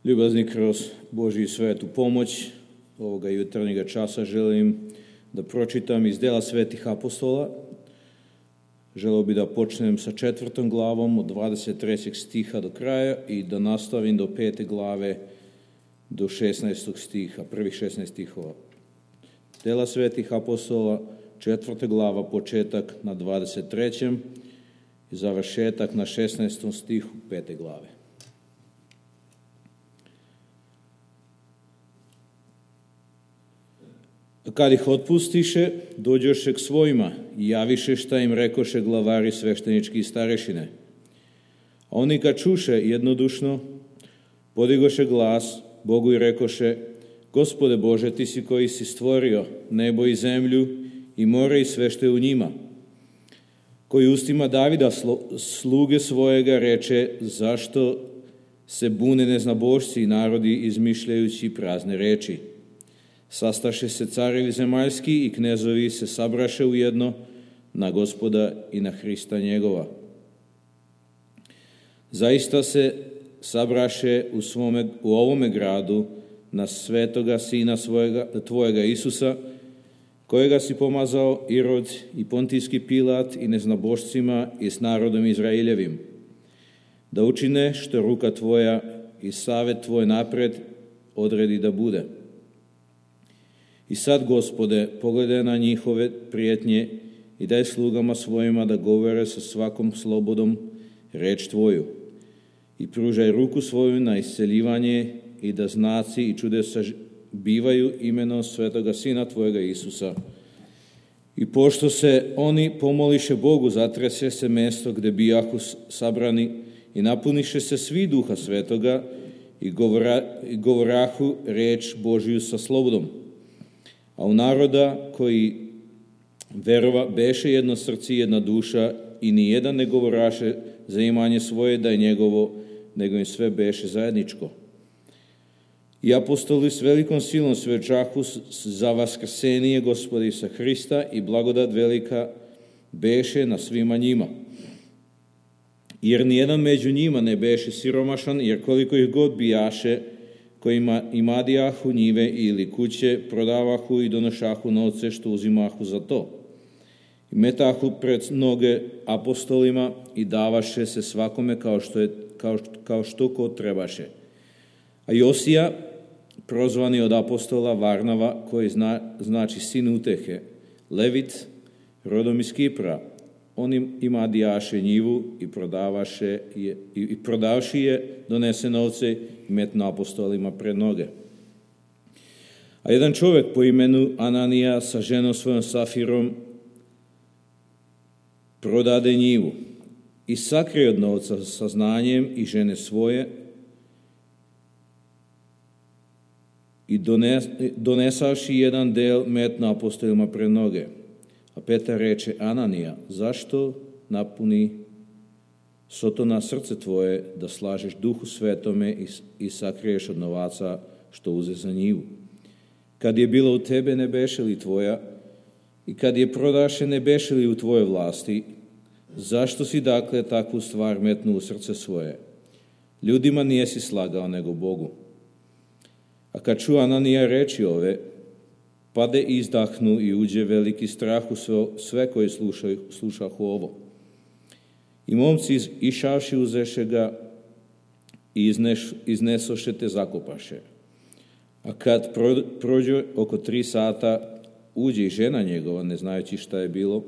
Ljubazni, kroz Božju svetu pomoć ovoga jutarnjega časa želim da pročitam iz dela svetih apostola. Želeo bi da počnem sa 4. glavom od 23. stiha do kraja i da nastavim do 5. glave do 16. stiha, prvih 16 stihova. Dela svetih apostola, 4. glava, početak na 23. i završetak na 16. stihu 5. glave. Kad ih otpustiše, dođoše k svojima i javiše šta im rekoše glavari sveštenički i starešine. A oni kad čuše jednodušno, podigoše glas Bogu i rekoše: Gospode Bože, ti si koji si stvorio nebo i zemlju i more i sve što je u njima, koji ustima Davida sluge svojega reče: zašto se bune neznabošci i narodi izmišljajući prazne reči? Sastaše se carevi zemaljski i knezovi se sabraše ujedno na Gospoda i na Hrista njegova. Zaista se sabraše u ovome gradu na svetoga Sina tvojega Isusa, kojega si pomazao Irod i Pontijski Pilat i neznabošcima i s narodom Izraeljevim, da učine što ruka tvoja i savet tvoj napred odredi da bude. I sad, Gospode, pogledaj na njihove prijetnje i daj slugama svojima da govore sa svakom slobodom reč tvoju. I pružaj ruku svoju na isceljivanje i da znaci i čudesa bivaju imenom svetoga Sina tvojega Isusa. I pošto se oni pomoliše Bogu, zatrese se mesto gde bijahu sabrani i napuniše se svi Duha Svetoga i govorahu reč Božiju sa slobodom. A u naroda koji verova beše jedno srce i jedna duša i nijedan ne govoraše za imanje svoje da je njegovo, nego im sve beše zajedničko. I apostoli s velikom silom svedčahu za vaskrsenije Gospoda Isusa Hrista i blagodat velika beše na svima njima. Jer nijedan među njima ne beše siromašan, jer koliko ih god bijaše, kojima imadijahu njive ili kuće, prodavahu i donošahu novce što uzimahu za to. I metahu pred noge apostolima i davaše se svakome kao što ko trebaše. A Josija, prozvani od apostola, Varnava, koji znači sin utehe, Levit, rodom iz Kipra, on imadijaše njivu i prodavši je, donese novce i metno apostolima pred noge. A jedan čovjek po imenu Ananija sa ženom svojom Safirom prodade njivu i sakrije od novca sa znanjem i žene svoje i donesavši jedan del metno apostolima pred noge. A Petar reče: Ananija, zašto napuni Sotona srce tvoje da slažeš Duhu Svetome i sakriješ od novaca što uze za njivu? Kad je bilo u tebe, ne beše li tvoja, i kad je prodaše, ne beše li u tvojoj vlasti? Zašto si dakle takvu stvar metnu u srce svoje? Ljudima nijesi slagao, nego Bogu. A kad ču Ananija reči ove, pade i izdahnu i uđe veliki strah u sve koji slušahu ovo. I momci išavši uzeše ga i iznesoše te zakopaše. A kad prođe oko 3 sata, uđe i žena njegova, ne znajući šta je bilo,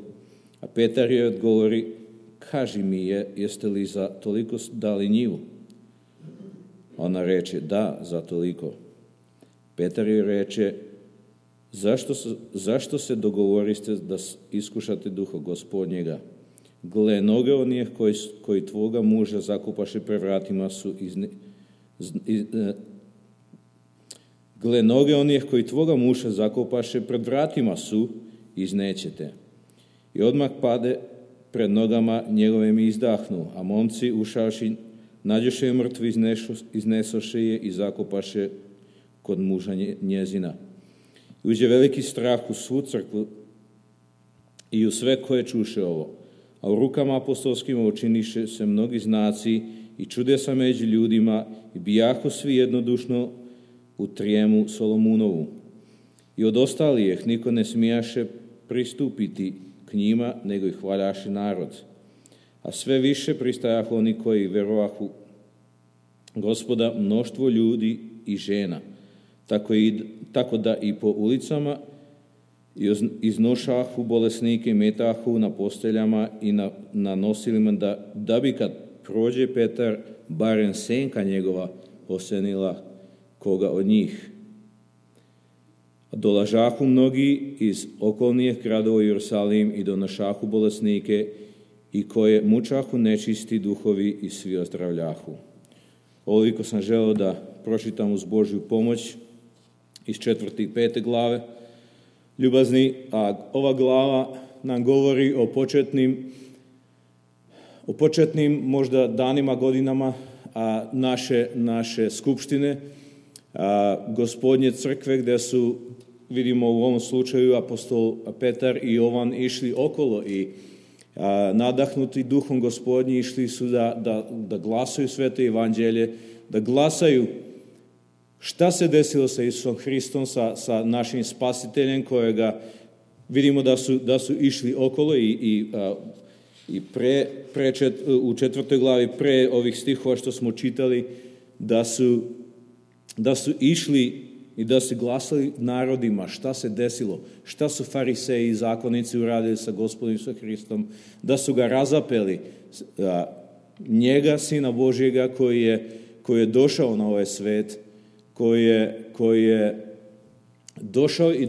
a Petar je odgovori: kaži mi, jeste li za toliko dali njivu? Ona reče: da, za toliko. Petar je reče: zašto se dogovoriste da iskušate Duha Gospodnjega? Gle, noge onih koji tvoga muža zakopaše pred vratima su iznećete. I odmah pade pred nogama njegovim i izdahnu, a momci ušavši nađoše je mrtvi, iznesoše je i zakopaše kod muža njezina. Uđe veliki strah u svu crkvu i u sve koje čuše ovo. A u rukama apostolskima učiniše se mnogi znaci i čudesa među ljudima i bijahu svi jednodušno u trijemu Solomunovu. I od ostalijih niko ne smijaše pristupiti k njima, nego ih hvaljaše narod. A sve više pristajahu oni koji verovahu Gospoda, mnoštvo ljudi i žena, tako da i po ulicama iznošahu bolesnike i metahu na posteljama i na nosilima, da bi kad prođe Petar, barem senka njegova osenila koga od njih. Dolažahu mnogi iz okolnijih gradova u Jerusalim i donošahu bolesnike i koje mučahu nečisti duhovi i svi ozdravljahu. Ovoliko sam želeo da pročitam uz Božju pomoć iz 4. i 5. glave. Ljubazni, a ova glava nam govori o početnim možda danima, godinama naše skupštine, Gospodnje crkve, gdje su, vidimo u ovom slučaju, apostol Petar i Jovan išli okolo i nadahnuti duhom Gospodnji išli su da glasaju sveto evanđelje, da glasaju šta se desilo sa Isusom Hristom, sa našim spasiteljem, kojega vidimo da su išli okolo i u 4. glavi pre ovih stihova što smo čitali, da su išli i da su glasali narodima šta se desilo, šta su fariseji i zakonici uradili sa Gospodom Isusom Hristom, da su ga razapeli, njega, Sina Božjega, koji je došao na ovaj svet, koji je došao i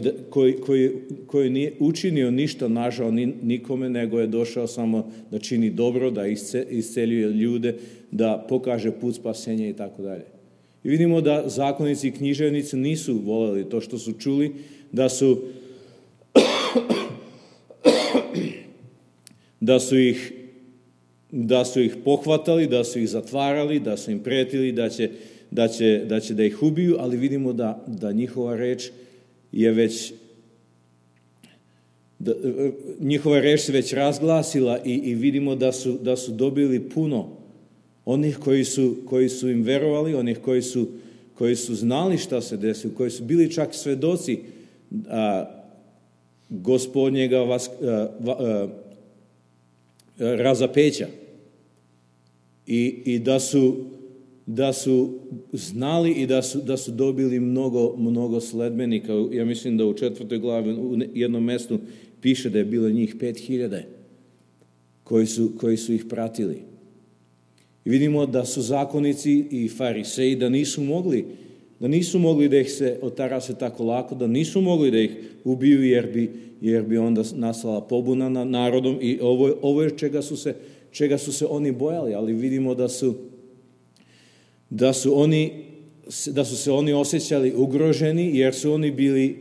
koji nije učinio ništa nažao nikome, nego je došao samo da čini dobro, da isceljuje ljude, da pokaže put spasenja i tako dalje. I vidimo da zakonici i književnici nisu voljeli to što su čuli, da su ih pohvatali, da su ih zatvarali, da su im pretili da će da ih ubiju, ali vidimo da njihova reč je već njihova reč se već razglasila i vidimo da su dobili puno onih koji su im verovali, onih koji su znali šta se desilo, koji su bili čak svedoci Gospodnjega razapeća i da su znali i da su dobili mnogo sledbenika. Ja mislim da u 4. glavi u jednom mjestu piše da je bilo njih 5.000 koji su ih pratili. I vidimo da su zakonici i fariseji da nisu mogli da ih se otarase tako lako, da nisu mogli da ih ubiju jer bi onda nastala pobuna nad narodom i ovo je čega su se oni bojali, ali vidimo da su se oni osjećali ugroženi jer su oni bili,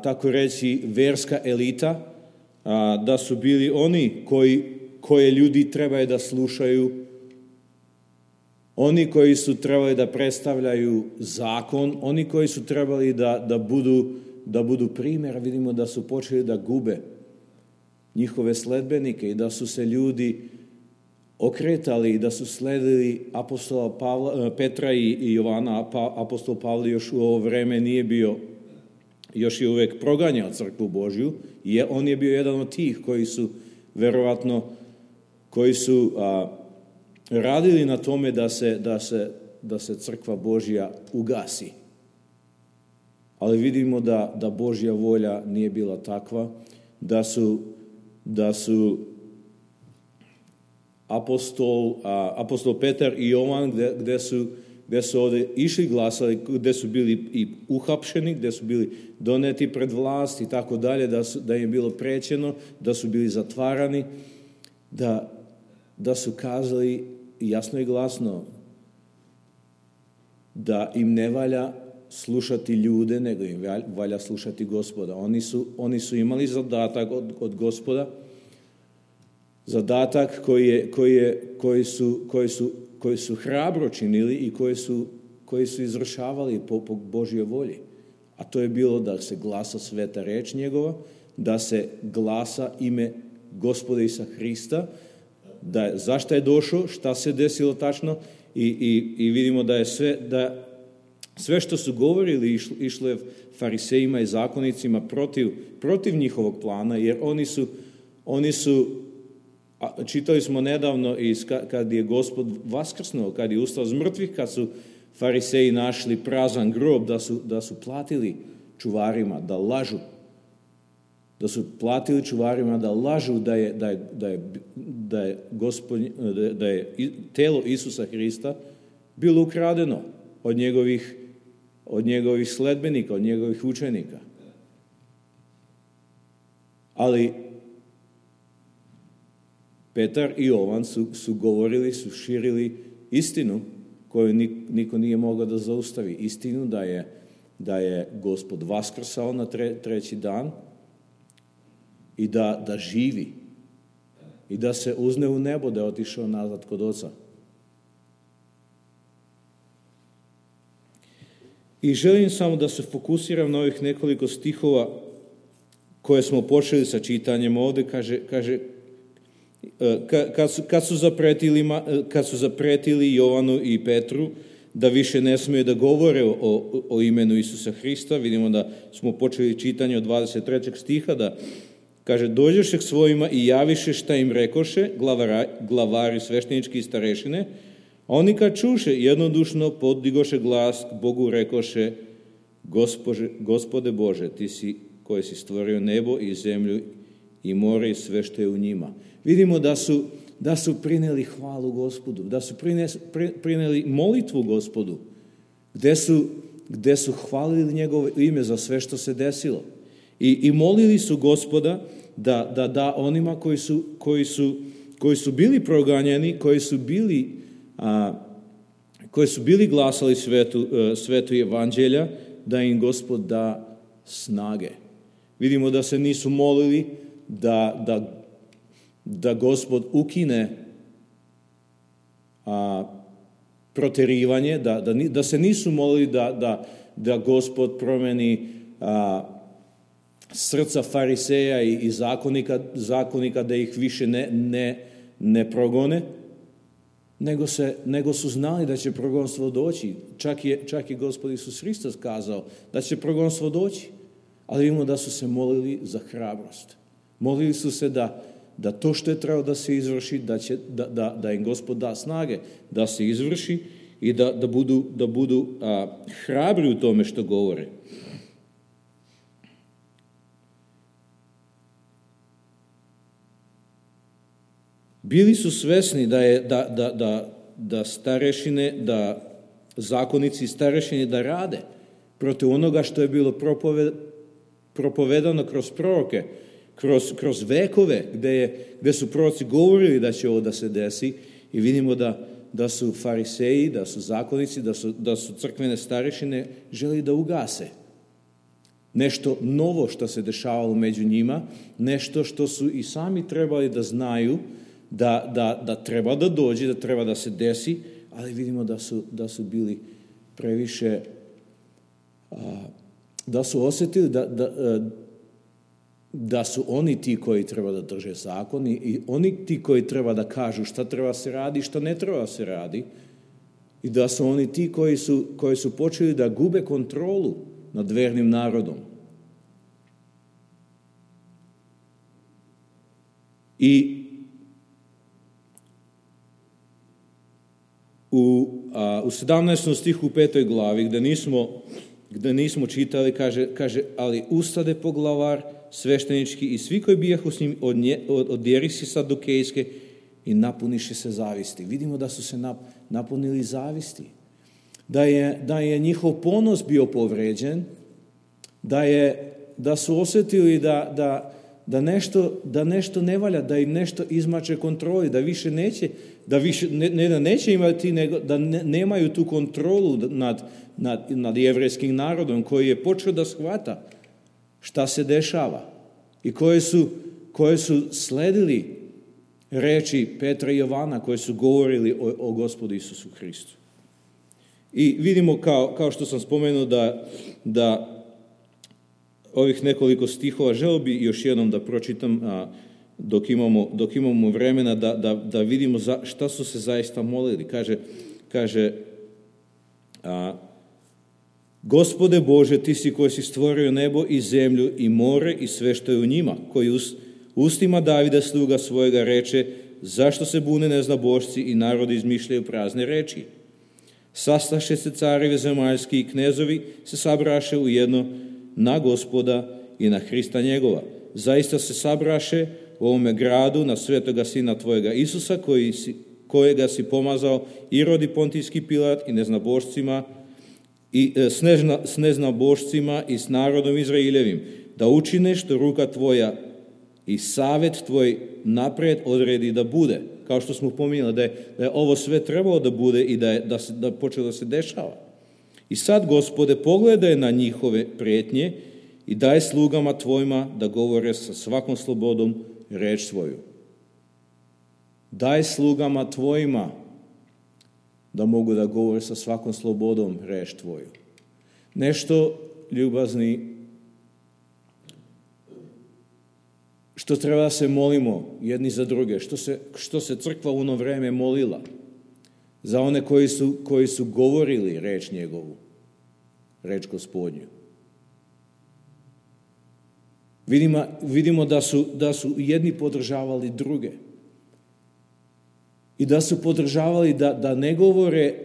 tako reći, verska elita, da su bili oni koje ljudi trebaju da slušaju, oni koji su trebali da predstavljaju zakon, oni koji su trebali da budu primjer. Vidimo da su počeli da gube njihove sledbenike i da su se ljudi okretali i da su sledili apostola Petra i Jovana. Apostol Pavle još u ovo vreme nije bio, još je uvek proganjao crkvu Božju. On je bio jedan od tih koji su verovatno radili na tome da se crkva Božja ugasi. Ali vidimo da Božja volja nije bila takva, da su apostol Petar i Jovan, gdje su ovdje išli glasali, gdje su bili i uhapšeni, gdje su bili doneti pred vlast i tako dalje, da im je bilo prećeno, da su bili zatvarani, da su kazali jasno i glasno da im ne valja slušati ljude, nego im valja slušati Gospoda. Oni su imali zadatak od Gospoda, zadatak koji su hrabro činili i koji su izvršavali po Božjoj volji. A to je bilo da se glasa sveta reč njegova, da se glasa ime Gospoda Isusa Hrista, zašto je došao, šta se desilo tačno i vidimo da je sve što su govorili išlo je farisejima i zakonicima protiv njihovog plana, jer oni su čitali smo nedavno kad je Gospod vaskrsnuo, kad je ustao z mrtvih, kad su fariseji našli prazan grob, da su platili čuvarima da lažu. Da su platili čuvarima da lažu da je telo Isusa Hrista bilo ukradeno od njegovih sledbenika, od njegovih učenika. Ali Petar i Jovan su govorili, su širili istinu koju niko nije mogao da zaustavi. Istinu da je Gospod vaskrsao na treći dan i da živi i da se uzne u nebo, da je otišao nazad kod Oca. I želim samo da se fokusiram na ovih nekoliko stihova koje smo počeli sa čitanjem ovdje. Kaže kad su zapretili Jovanu i Petru da više ne smiju da govore o imenu Isusa Hrista, vidimo da smo počeli čitanje od 23. stiha, da kaže, dođoše k svojima i javiše šta im rekoše glavari sveštenički i starešine, a oni kad čuše jednodušno poddigoše glas k Bogu, rekoše, Gospode Bože, ti si koji si stvorio nebo i zemlju i more i sve što je u njima. Vidimo da su prineli hvalu Gospodu, da su prineli molitvu Gospodu, gde su hvalili njegovo ime za sve što se desilo. I molili su Gospoda da onima koji su bili proganjani, koji su bili glasali svetu evanđelja, da im Gospod da snage. Vidimo da se nisu molili da Gospod ukine proterivanje, da se nisu molili da Gospod promeni srca fariseja i zakonika da ih više ne progone, nego su znali da će progonstvo doći. Čak je Gospod Isus Hristos kazao da će progonstvo doći, ali vidimo da su se molili za hrabrost. Molili su se da to što je trebalo da se izvrši, da im Gospod da snage da se izvrši i da budu hrabri u tome što govore. Bili su svesni da starešine, da zakonici starešine da rade protiv onoga što je bilo propovedano kroz proroke, kroz vekove, gde su proroci govorili da će ovo da se desi, i vidimo da su fariseji, da su zakonici, da su crkvene starešine želi da ugase. Nešto novo što se dešavalo među njima, nešto što su i sami trebali da znaju, da treba da dođe, da treba da se desi, ali vidimo da su bili previše, da su osjetili da su oni ti koji treba da drže zakon i oni ti koji treba da kažu šta treba se radi, šta ne treba se radi, i da su oni ti koji su počeli da gube kontrolu nad vernim narodom. I u 17. stihu u 5. glavi, gde nismo čitali, kaže, ali ustade poglavar sveštenički i svi koji bijahu s njim od jerisi sadukejske i napuniše se zavisti. Vidimo da su se napunili zavisti. Da je njihov ponos bio povređen, da su osjetili da nešto ne valja, da im nešto izmače kontroli, da više neće, da neće imati, nego da nemaju tu kontrolu nad jevrejskim narodom koji je počeo da shvata šta se dešava i koje su sledili reči Petra i Jovana, koje su govorili o Gospodu Isusu Hristu. I vidimo, kao što sam spomenuo, da ovih nekoliko stihova, želio bi još jednom da pročitam dok imamo vremena da vidimo šta su se zaista molili. Kaže Gospode Bože, ti si koji si stvorio nebo i zemlju i more i sve što je u njima, koji ustima Davida sluga svojega reče, zašto se bune neznabošci i narodi izmišljaju prazne reči? Sastaše se carevi zemaljski i knezovi se sabraše u jedno na Gospoda i na Hrista njegova. Zaista se sabraše u ovome gradu na svetoga sina tvojega Isusa, kojega si pomazao Irod i Pontijski Pilat i neznabošcima i s neznabošcima i s narodom Izraeljevim, da učine što ruka tvoja i savjet tvoj napred odredi da bude. Kao što smo pominjali, da je ovo sve trebalo da bude i da počelo da se dešava. I sad, Gospode, pogledaj na njihove prijetnje i daj slugama tvojima da govore sa svakom slobodom reč svoju. Daj slugama tvojima da mogu da govore sa svakom slobodom reč tvoju. Nešto, ljubazni, što treba da se molimo jedni za druge, što se crkva u ono vreme molila za one koji su govorili reč njegovu, reč Gospodnju. Vidimo da su jedni podržavali druge i da su podržavali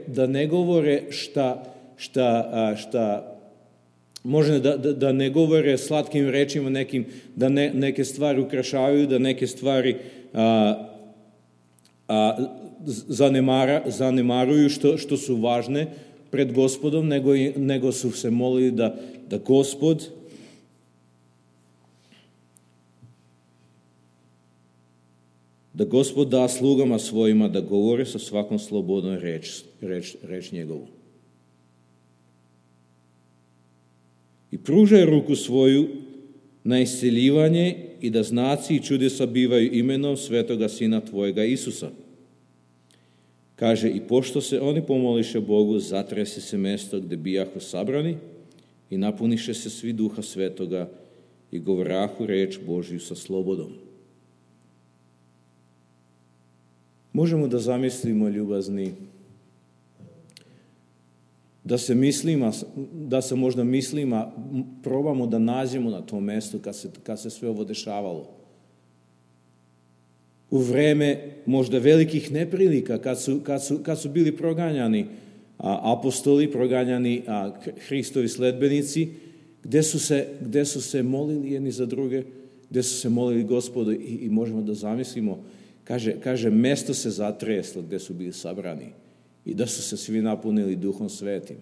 da ne govore šta može da ne govore slatkim rečima nekim, da neke stvari ukrašavaju, da neke stvari zanemaruju što su važne pred Gospodom, nego su se molili da Gospod da slugama svojima da govore sa svakom slobodom reč njegovu. I pružaj ruku svoju na isceljivanje i da znaci i čudesa bivaju imenom svetoga sina tvojega Isusa. Kaže, i pošto se oni pomoliše Bogu, zatrese se mesto gde bijahu sabrani i napuniše se svi duha svetoga i govorahu reč Božju sa slobodom. Možemo da zamislimo, ljubazni, da se možda mislima probamo da nađemo na tom mestu kad se sve ovo dešavalo. U vreme možda velikih neprilika, kad su bili proganjani apostoli, proganjani Hristovi sledbenici, gde su se molili jedni za druge, gde su se molili Gospodu i možemo da zamislimo, kaže mesto se zatreslo gde su bili sabrani i da su se svi napunili Duhom Svetim.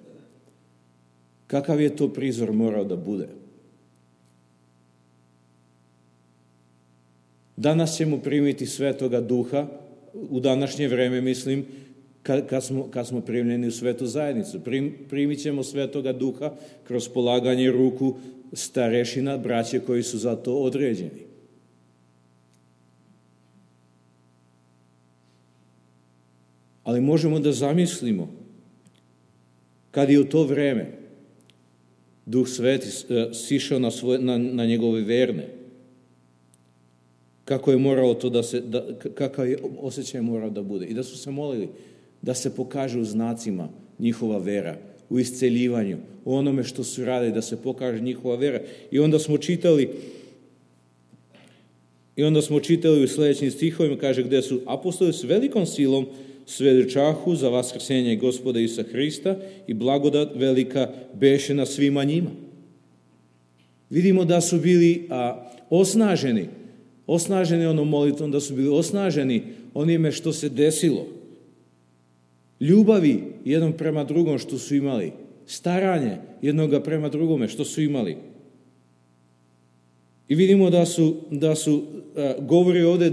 Kakav je to prizor morao da bude? Danas ćemo primiti Svetoga Duha, u današnje vreme, mislim, kad smo primljeni u svetu zajednicu. Primit ćemo Svetoga Duha kroz polaganje ruku starešina, braće koji su za to određeni. Ali možemo da zamislimo kad je u to vreme Duh Sveti sišao na njegove verne, kako je moralo to kakav je osjećaj morao da bude. I da su se molili da se pokaže u znacima njihova vera, u isceljivanju, u onome što su radili, da se pokaže njihova vera. I onda smo čitali u sljedećim stihovima, kaže, gde su apostoli s velikom silom svedočahu za vaskrsenje Gospoda Isusa Hrista i blagodat velika beše na svima njima. Vidimo da su bili osnaženi onom molitvom, da su bili osnaženi onime što se desilo. Ljubavi jednom prema drugom što su imali, staranje jednoga prema drugome što su imali. I vidimo da su govori ovdje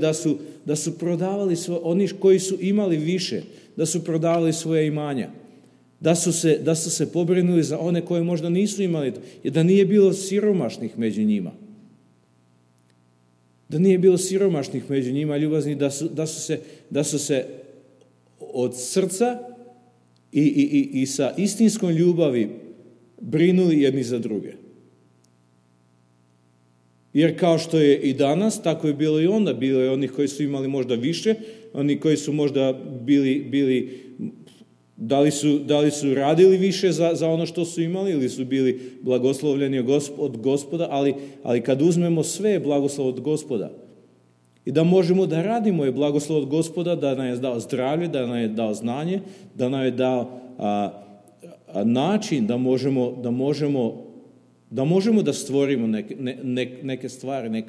da su prodavali oni koji su imali više, da su prodavali svoje imanja, da su se pobrinuli za one koje možda nisu imali, i da nije bilo siromašnih među njima. Da nije bilo siromašnih među njima, ljubazni, da su se od srca i sa istinskom ljubavi brinuli jedni za druge. Jer kao što je i danas, tako je bilo i onda. Bilo je onih koji su imali možda više, oni koji su možda bili da li su radili više za ono što su imali ili su bili blagoslovljeni od Gospoda, ali kad uzmemo sve je blagoslov od Gospoda. I da možemo da radimo je blagoslov od Gospoda, da nam je dao zdravlje, da nam je dao znanje, da nam je dao način da možemo da stvorimo neke stvari,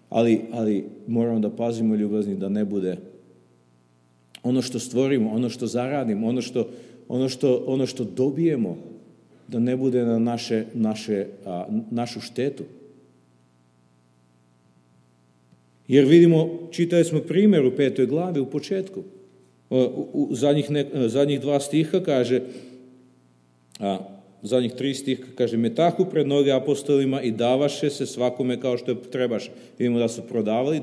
ali moramo da pazimo, ljubazni, da ne bude ono što stvorimo, ono što zaradimo, ono što dobijemo, da ne bude na našu štetu. Jer vidimo, čitali smo primjer u 5. glavi u početku. U zadnjih 2 stiha kaže, zadnjih 3 stiha kaže, metahu pred noge apostolima i davaše se svakome kao što trebaš. Vidimo da su prodavali,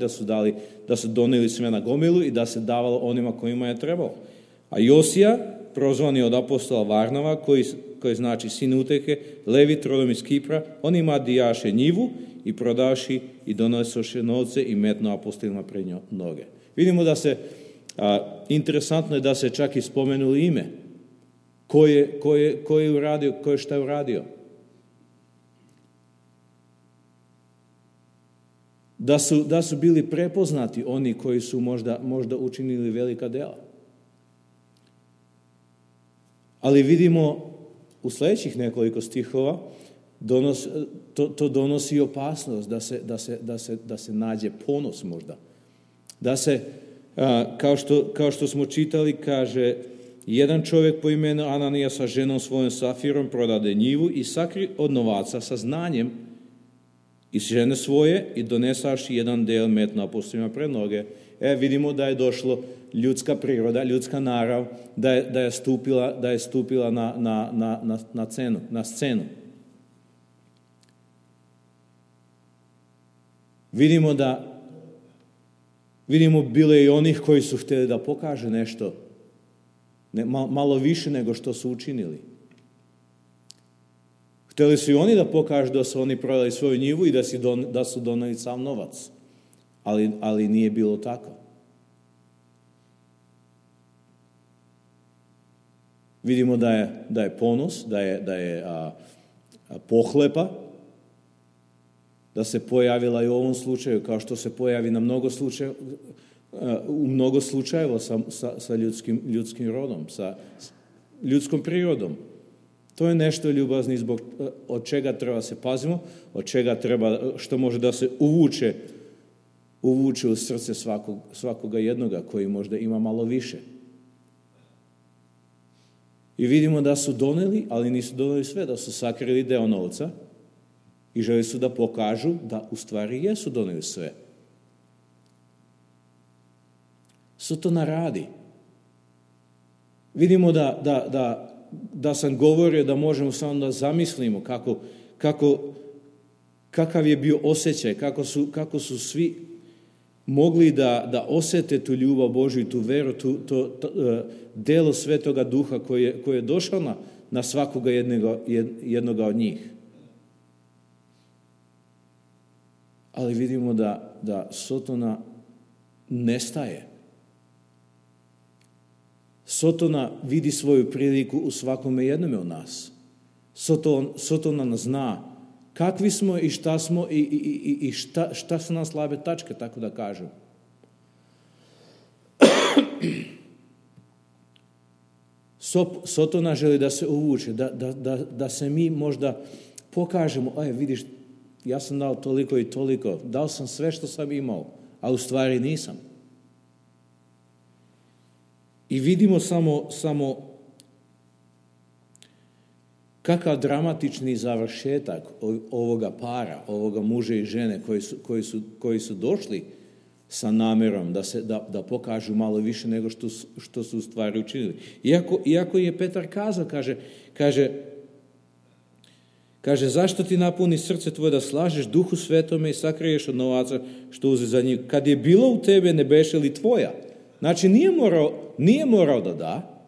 da su donijeli sve na gomilu i da se davalo onima kojima je trebalo. A Josija, prozvani od apostola Varnava, koji znači sin uteke, Levit rodom iz Kipra, on ima dijaše njivu i prodavši i donosoše novce i metno apostolima pred noge. Vidimo da se, interesantno je da se čak i spomenuli ime. Ko je uradio, ko je šta je uradio. Da su bili prepoznati oni koji su možda učinili velika dela. Ali vidimo u sljedećih nekoliko stihova to donosi opasnost da se nađe ponos možda. Da se, kao što smo čitali, kaže, jedan čovjek po imenu Ananija sa ženom svojom Safirom prodade njivu i sakri od novaca sa znanjem iz žene svoje i donesaši jedan del metno apostolima pred noge. Vidimo da je došlo ljudska priroda, ljudska narav, da je stupila na scenu. Vidimo bilo je i onih koji su htjeli da pokaže nešto, malo više nego što su učinili. Htjeli su i oni da pokažu da su oni prodali svoju njivu i da su doneli sam novac. Ali nije bilo tako. Vidimo da je ponos, da je pohlepa, da se pojavila i u ovom slučaju, kao što se pojavi na u mnogo slučajeva sa ljudskim rodom, sa ljudskom prirodom. To je nešto, ljubazni, od čega treba se pazimo, od čega treba, što može da se uvuče u srce svakoga jednoga koji možda ima malo više. I vidimo da su doneli, ali nisu doneli sve, da su sakrili deo novca i želi su da pokažu da u stvari jesu doneli sve. Sotona radi. Vidimo da sam govorio da možemo samo da zamislimo kakav je bio osjećaj, kako su svi mogli da osjete tu ljubav Božju i tu veru, to delo Svetoga Duha koji je došao na svakoga jednoga od njih. Ali vidimo da Sotona nestaje. Sotona vidi svoju priliku u svakome jednome od nas. Sotona nas zna kakvi smo i šta smo i šta su nam slabe tačke, tako da kažem. Sotona želi da se uvuče, da se mi možda pokažemo, vidiš, ja sam dao toliko i toliko, dao sam sve što sam imao, a u stvari nisam. I vidimo samo kakav dramatični završetak ovoga para, ovoga muža i žene koji su došli sa namjerom da pokažu malo više nego što su u stvari učinili. Iako je Petar kazao, kaže, zašto ti napuni srce tvoje da slažeš Duhu Svetome i sakriješ od novaca što uze za njih? Kad je bilo u tebe, ne beše li tvoja? Znači, nije morao da da,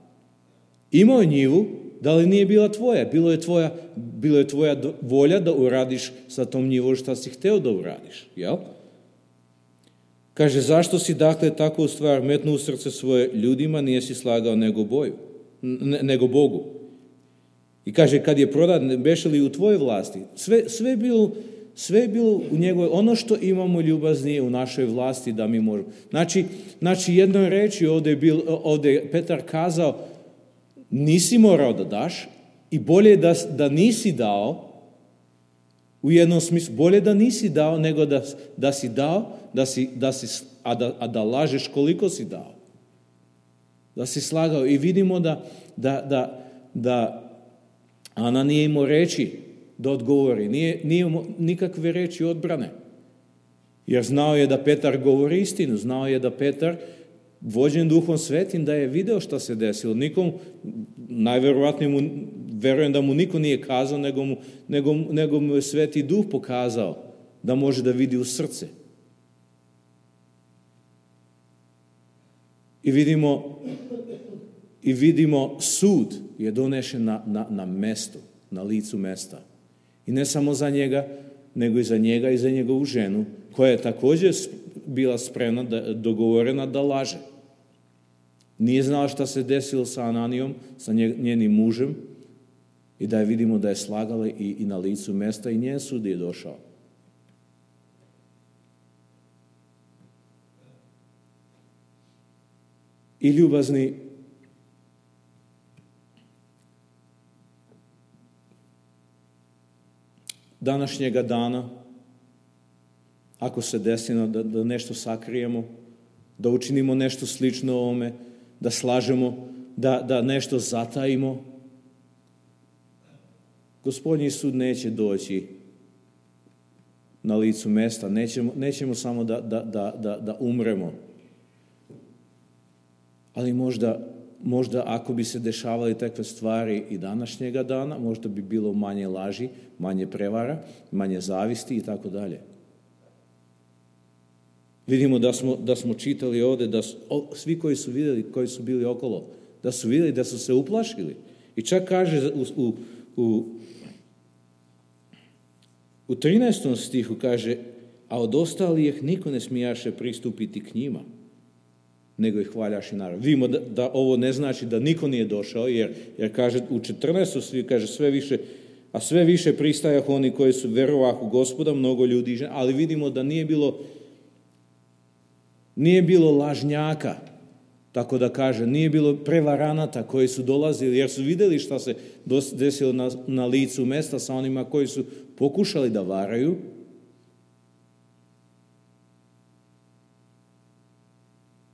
imao je njivu, Da li nije bila tvoja? Bilo je tvoja volja da uradiš sa tom njivom šta si hteo da uradiš, jel? Kaže, zašto si dakle takvu stvar metnuo u srce svoje ljudima, nije si slagao nego Bogu? I kaže, kad je prodat, beše li u tvojoj vlasti? Sve je bilo u njegovoj, ono što imamo ljubaznije u našoj vlasti da mi možemo. Znači jednoj reči ovdje je Petar kazao, nisi morao da daš i bolje da nisi dao, u jednom smislu, bolje da nisi dao nego da si dao, a da lažeš koliko si dao. Da si slagao. I vidimo da Ana nije imao reči da odgovori. Nije imao nikakve reči odbrane. Jer znao je da Petar govori istinu. Znao je da Petar, vođen Duhom Svetim, da je video šta se desilo. Najverovatnije verujem da mu niko nije kazao, nego mu je Sveti Duh pokazao da može da vidi u srce. I vidimo sud je donešen na mestu, na licu mesta. I ne samo za njega, nego i za njega i za njegovu ženu, koja je također bila spremna, dogovorena da laže. Nije znala šta se desilo sa Ananijom, sa njenim mužem, i da je vidimo da je slagala i na licu mesta i njen sud je došao. I ljubazni, današnjega dana, ako se desi da nešto sakrijemo, da učinimo nešto slično ovome, da slažemo, da nešto zatajimo, Gospodnji sud neće doći na licu mesta. Nećemo samo da umremo. Ali možda ako bi se dešavali takve stvari i današnjega dana, možda bi bilo manje laži, manje prevara, manje zavisti i tako dalje. Vidimo da smo čitali ovdje da svi koji su vidjeli, koji su bili okolo, da su vidjeli da su se uplašili. I čak kaže u 13. stihu kaže, a od ostalih niko ne smijaše pristupiti k njima, nego ih hvaljaši narod. Vidimo da ovo ne znači da niko nije došao, jer kaže u 14. stihu kaže sve više pristajah oni koji su verovah u Gospoda, mnogo ljudi, ali vidimo da nije bilo lažnjaka, tako da kaže, nije bilo prevaranata koji su dolazili, jer su vidjeli šta se desilo na licu mesta sa onima koji su pokušali da varaju.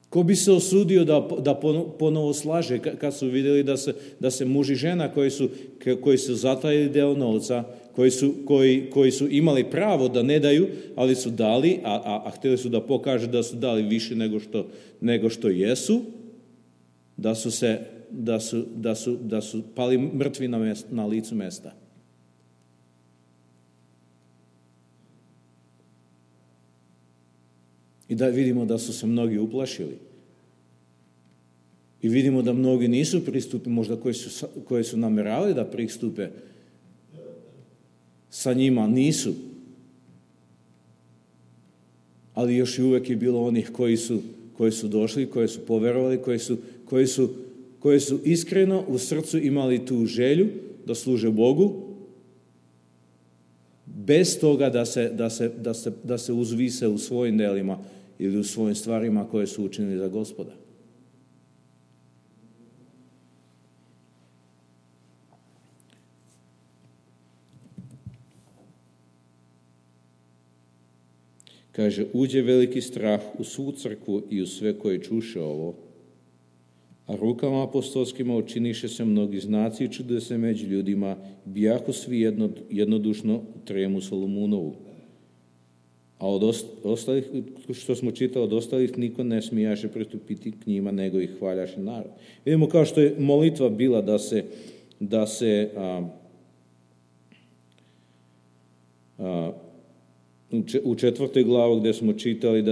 Ko bi se osudio da ponovo slaže kad su vidjeli da se muž i žena koji su zatajili deo novca, koji su imali pravo da ne daju, ali su dali, a htjeli su da pokažu da su dali više nego što jesu, da su pali mrtvi na licu mesta. I da vidimo da su se mnogi uplašili. I vidimo da mnogi nisu pristupili, možda koji su nameravali da pristupe sa njima, nisu. Ali još i uvijek je bilo onih koji su došli, koji su poverovali, koji su iskreno u srcu imali tu želju da služe Bogu, bez toga da se uzvise u svojim delima ili u svojim stvarima koje su učinili za Gospoda. Kaže, uđe veliki strah u svu crkvu i u sve koje čuše ovo, a rukama apostolskima učiniše se mnogi znaci i čudesa među ljudima, bijahu svi jednodušno tremu Solomunovu. A od ostalih, što smo čitali, od ostalih niko ne smijaše pristupiti k njima, nego ih hvaljaše narod. Vidimo kao što je molitva bila da se u 4. glavu gdje smo čitali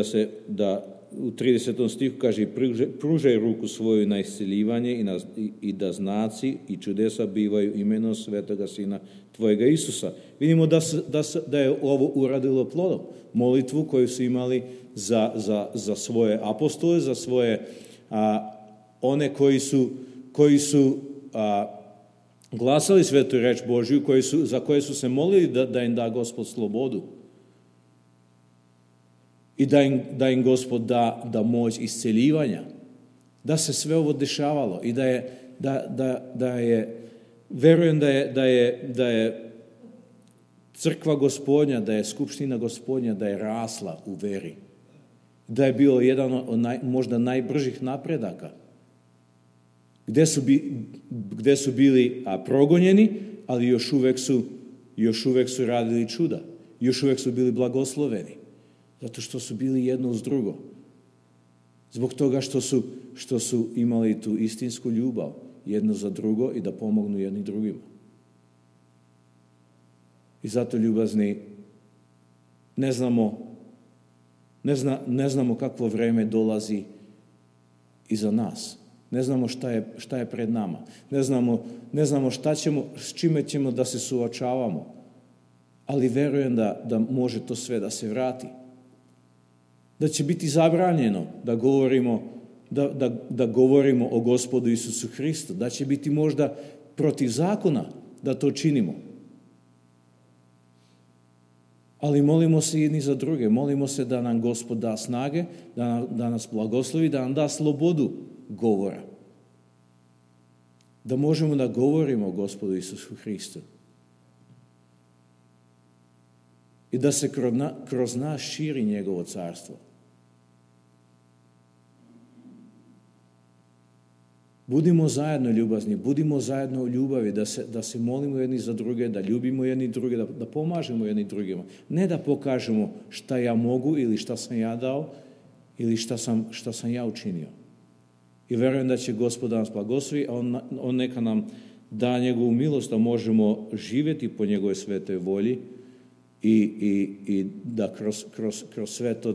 da u 30. stihu kaže pružaj ruku svoju na isceljivanje i da znaci i čudesa bivaju imenom svetoga Sina tvojega Isusa. Vidimo da je ovo uradilo plodom. Molitvu koju su imali za svoje apostole, za svoje one koji su glasali svetu reč Božju, za koje su se molili da im da Gospod slobodu. I da im Gospod da moć isceljivanja. Da se sve ovo dešavalo i da je verujem da je crkva Gospodnja, da je skupština Gospodnja, da je rasla u veri. Da je bilo jedan od možda najbržih napredaka. Gde su bili progonjeni, ali još uvek su radili čuda. Još uvek su bili blagosloveni. Zato što su bili jedno uz drugo. Zbog toga što su imali tu istinsku ljubav jedno za drugo i da pomognu jedni drugima. I zato, ljubazni, ne znamo kakvo vreme dolazi iza nas. Ne znamo šta je pred nama. Ne znamo s čime ćemo da se suočavamo. Ali verujem da može to sve da se vrati. Da će biti zabranjeno da govorimo o Gospodu Isusu Hristu. Da će biti možda protiv zakona da to činimo. Ali molimo se jedni za druge. Molimo se da nam Gospod da snage, da nas blagoslovi, da nam da slobodu govora. Da možemo da govorimo o Gospodu Isusu Hristu. I da se kroz nas širi njegovo carstvo. Budimo zajedno ljubazni, budimo zajedno u ljubavi, da se molimo jedni za druge, da ljubimo jedni druge, da pomažemo jedni drugima. Ne da pokažemo šta ja mogu ili šta sam ja dao ili šta sam ja učinio. I verujem da će Gospod nas blagoslovi, a on neka nam da njegovu milost, da možemo živjeti po njegovoj svetoj volji i da kroz sve to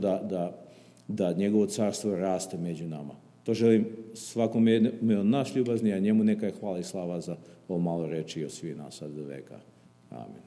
da njegovo carstvo raste među nama. To želim svakom od nas ljubazni, a njemu neka je hvala i slava za ovo malo reči od svih nas sad do veka. Amen.